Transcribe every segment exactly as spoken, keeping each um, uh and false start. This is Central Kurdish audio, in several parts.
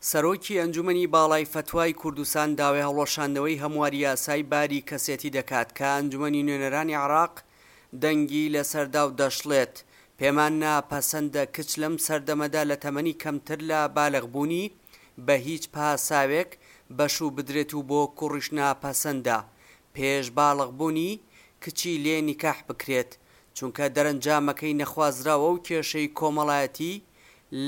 سەرۆکی ئەنجومەنی باڵای فەتوای کوردستان داوای هەڵوەشاندنەوەی هەمواری یاسای باری کەسێتی دەکات کە ئەنجومەنی نوێنەرانی عێراق دەنگی لەسەردا و دەشڵێت پێمان ناپەسەندە کچ لەم سەردەمەدا لە تەمەنی کەمتر لە بالغبوونی بە هیچ پاساوێک بەشوو بدرێت و بۆ کوڕیش ناپەسەندە پێش باڵغبوونی کچی لێ نیکاح بکرێت، چونکە دەرەنجامەکەی نەخوازراوە و کێشەی کۆمەڵایەتی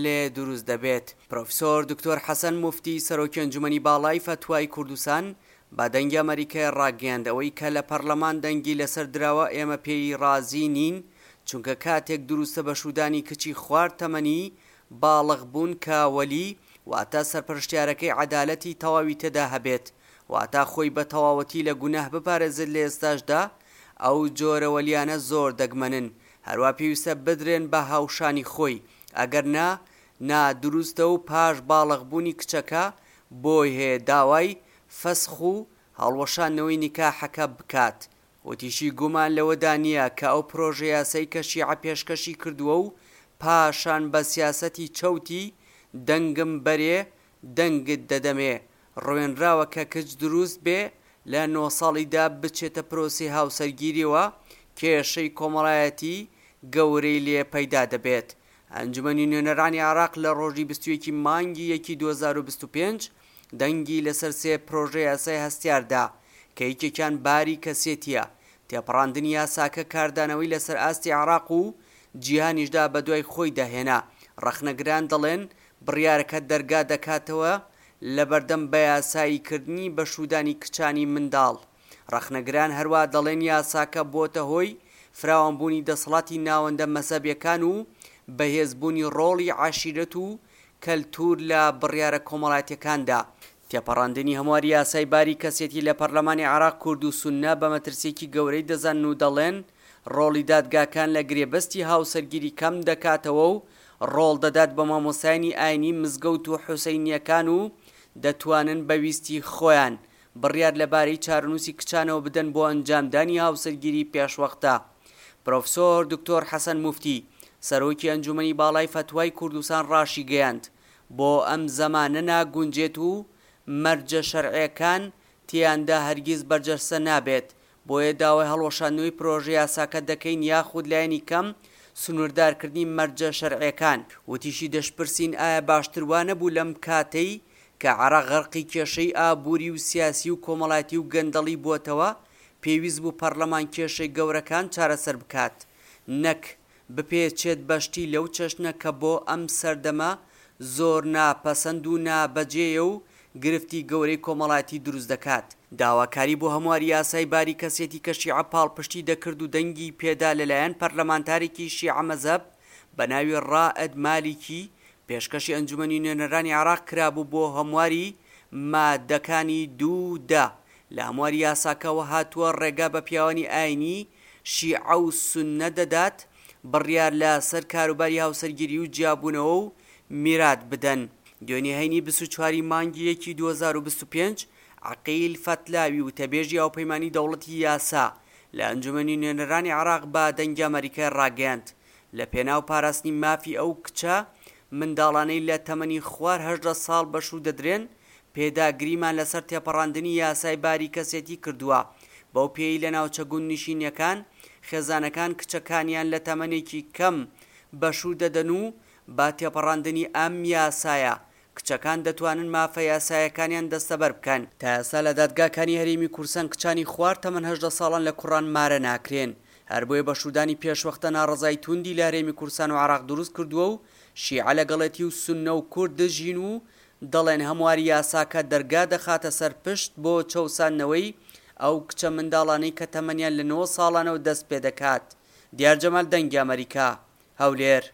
لێ دروست دەبێت. پرۆفیسۆر دکتۆر حەسەن موفتی سەرۆکی ئەنجومەنی باڵای فەتوای کوردستان بە دەنگی ئەمەریکای ڕاگەیاند ئەوەی کە لە پەرلەمان دەنگی لەسەر دراوە ئێمە پێی ڕازی نین، چونکە کاتێک دروستە بە شوودانی کچی خوار تەمەنی باڵغ بوون کە وەلی واتە سەرپەرشتیارەکەی عەدالەتی تەواوی تێدا هەبێت، واتە خۆی بە تەواوەتی لە گوناه بپارێزێت، لە ئێستاشدا ئەو جۆرە وەلیانە زۆر دەگمەنن، هەروا پێویستە بدرێن بە هاوشانی خۆی، ئەگەر نا نادروستە و پاش باڵغبوونی کچەکە بۆی هەیە داوای فەسخ و هەڵوەشاندنەوەی نیکاحەکە بکات. وتیشی گومان لەوەدا نییە کە ئەو پرۆژە یاسای کە شیعە پێشکەشی کردووە و پاشان بە سیاسەتی چەوتی دەنگم بەرێ دەنگت دەدەمێ ڕوێنراوە کە کچ دروست بێ لە نۆ ساڵیدا بچێتە پرۆسەی هاوسەرگیریەوە کێشەی کۆمەڵایەتی گەورەی لێ پەیدا دەبێت. ئەنجومەنی نوێنەرانی عێراق لە ڕۆژی بیست و یەک مانگی یەکی دوو هەزار و بیست و پێنج دەنگی لەسەر سێ پرۆژە یاسای هەستیاردا کە یەکێکیان باری کەسێتیە. تێپەڕاندنی یاساکە کاردانەوەی لەسەر ئاستی عێراق و جیهانیشدا بەدوای خۆیدا هێنا. ڕەخنەگران دەڵێن بڕیارەکە دەرگا دەکاتەوە لەبەردەم بەیاساییکردنی بەشوودانی کچانی منداڵ. ڕەخنەگران هەروە دەڵێن یاساکە بۆتە هۆی فراوانبوونی دەسەڵاتی ناوەندە مەزهەبیەکان و بەهێزبوونی ڕۆڵی عەشیرەت و کەلتور لە بڕیارە کۆمەڵایەتیەکاندا. تێپەڕاندنی هەمواری یاسای باری کەسێتی لە پەرلەمانی عێراق کورد و سوننە بە مەترسیەکی گەورەی دەزانن و دەڵێن ڕۆڵی دادگاکان لە گرێبەستی هاوسەرگیری کەم دەکاتەوە و ڕۆڵ دەدات بە مامۆستایانی ئاینی مزگەوت و حوسەینیەکان و دەتوانن بە ویستی خۆیان بڕیار لەبارەی چارەنووسی کچانەوە بدەن بۆ ئەنجامدانی هاوسەرگیری پێشوەختە. پرۆفسۆر دکتۆر حەسەن موفتی سەرۆکی ئەنجومەنی باڵای فەتوای کوردستان ڕاشیگەیاند بۆ ئەم زەمانە ناگونجێت و مەرجە شەرعیەکان تیاندا هەرگیز بەرجەستە نابێت، بۆیە داوای هەڵوەشاندنەوەی پرۆژە یاساکە دەکەین یاخود لایەنی کەم سنووردارکردنی مەرجە شەرعیەکان. وتیشی دەشپرسین ئایا باشتر وا نەبوو لەم کاتەی کە عێراق غەرقی کێشەی ئابووری و سیاسی و کۆمەڵایەتی و گەندەڵی بووەتەوە پێویست بوو پەرلەمان کێشەی گەورەکان چارەسەر بکات نەک بپێچێت بەشتی لەو چەشنە کە بۆ ئەم سەردەمە زۆر ناپەسەند و نابەجێیە و گرفتی گەورەی کۆمەڵایەتی دروست دەکات. داواکاری بۆ هەمواری یاسای باری کەسێتی کە شیعە پاڵپشتی دەکرد و دەنگی پێدا لەلایەن پەرلەمانتارێکی شیعە مەزهەب بە ناوی ڕائد مالیکی پێشکەشی ئەنجومەنی نوێنەرانی عێراق کرابوو بۆ هەمواری مادەکانی دوو دە لە هەمواری یاساکەوە هاتووە ڕێگا بە پیاوانی ئاینی شیعە و سوننە دەدات بڕیار لە سەر کاروباری هاوسەرگیری و جیابوونەوە و میرات بدەن. دوێنێ هەینی بیست و چواری مانگی یەکی دوو هەزار و بیست و پێنج عەقیل فەتلاوی وتەبێژی هاوپەیمانی دەوڵەتی یاسا لە ئەنجومەنی نوێنەرانی عێراق بە دەنگی ئەمەریکای ڕاگەیاند لە پێناو پاراستنی مافی ئەو کچە منداڵانەی لە تەمەنی خوار هەژدە ساڵ بەشوو دەدرێن پێداگریمان لەسەر تێپەڕاندنی یاسای باری کەسێتی کردووە بەو پێی لە ناوچە گوندنشینیەکان خێزانەکان کچەکانیان لە تەمەنێکی کەم بەشوو دەدەن و با تێپەڕاندنی ئەم یاسایە کچەکان دەتوانن مافە یاسایەکانیان دەستەبەر بکەن. تا ئێستا لە دادگاکانی هەرێمی کوردستان کچانی خوار تەمەن هەژدە ساڵان لە کوڕان مارە ناکرێن، هەر بۆیە بەشوودانی پێشوەختە ناڕەزای توندی لە هەرێمی کوردستان و عێراق دروست کردووە و شیعە لەگەڵێتی و سوننە و کورد دژین و دەڵێن هەمواری یاساکە دەرگا دەخاتە سەر پشت بۆ چەوساندنەوەی ئەو کچە منداڵانەی کە تەمەنیان لە نۆ ساڵانەوە دەست پێدەکات. دیار جەمال، دەنگی ئەمەریکا، هەولێر.